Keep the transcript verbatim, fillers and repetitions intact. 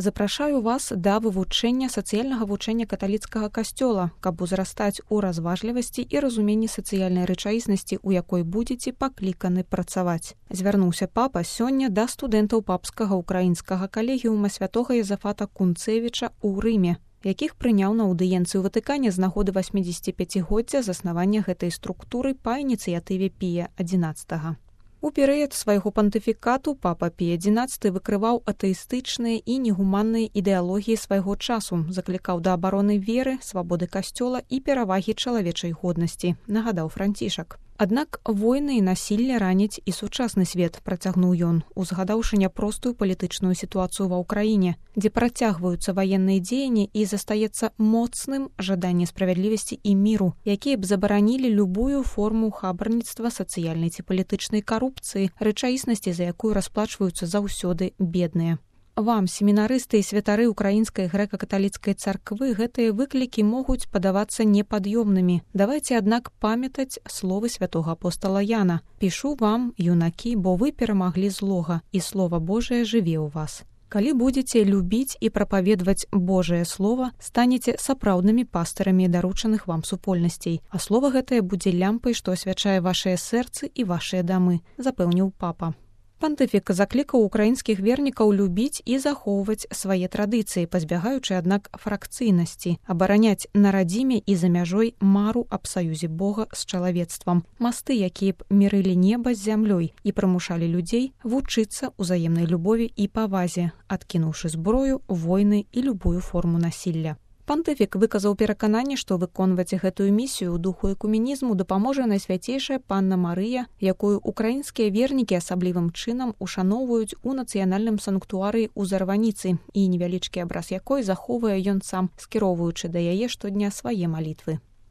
Запрашаю вас да вывучэння сацыяльнага вучэння каталіцкага касцёла, каб узрастаць у разважлівасці і разуменні сацыяльнай рэчаіснасці, у якой будзеце пакліканы працаваць. Звярнуўся папа сёння да студэнтаў папскага ўкраінскага калегіума святога Езафата Кунцевіча ў Рыме, якіх прыняў на аўдыенцыю ў Ватыкане з нагоды васьмідзесяціпяцігоддзя заснавання гэтай структуры па ініцыятыве Пія адзінаццатага. У перыяд свайго пантыфікату папа Пій адзінаццаты выкрываў атэістычныя і негуманныя ідэалогіі свайго часу, заклікаў да абароны веры, свабоды касцёла і перавагі чалавечай годнасці, нагадаў Францішак. Аднак войны і насілле раняць і сучасны свет, працягнуў ён, узгадаўшы няпростую палітычную сітуацыю ва ўкраіне, дзе працягваюцца ваенныя дзеянні і застаецца моцным жаданне справядлівасці і міру, якія б забаранілі любую форму хабарніцтва, сацыяльнай ці палітычнай карупцыі, рэчаіснасці, за якую расплачваюцца заўсёды бедныя. Вам, семінарысты і святары ўкраінскай грэка-каталіцкай царквы, гэтыя выклікі могуць падавацца непад'ёмнымі. Давайце, аднак, памятаць словы святога апостала Яна. «Пішу вам, юнакі, бо вы перамаглі злога, і Слова Божае жыве ў вас». Калі будзеце любіць і прапаведваць Божае Слова, станеце сапраўднымі пастарамі даручаных вам супольнасцей, а слова гэтае будзе лямпай, што асвячае вашыя сэрцы і вашыя дамы, запэўніў папа. Пантыфік заклікаў украінскіх вернікаў любіць і захоўваць свае традыцыі, пазбягаючы, аднак, фракцыйнасці, абараняць на радзіме і за мяжой мару аб саюзе Бога з чалавецтвам, масты, якія б мірылі неба з зямлёй і прымушалі людзей вучыцца ўзаемнай любові і павазе, адкінуўшы зброю, войны і любую форму насілля. Пантыфік выказаў перакананне, што выконваць гэтую місію ў духу экуменізму дапаможа Найсвяцейшая Панна Марыя, якую украінскія вернікі асаблівым чынам ушаноўваюць у нацыянальным санктуарыі ў Зарваніцы і невялічкі абраз якой захоўвае ён сам, скіроўваючы да яе штодня свае малітвы.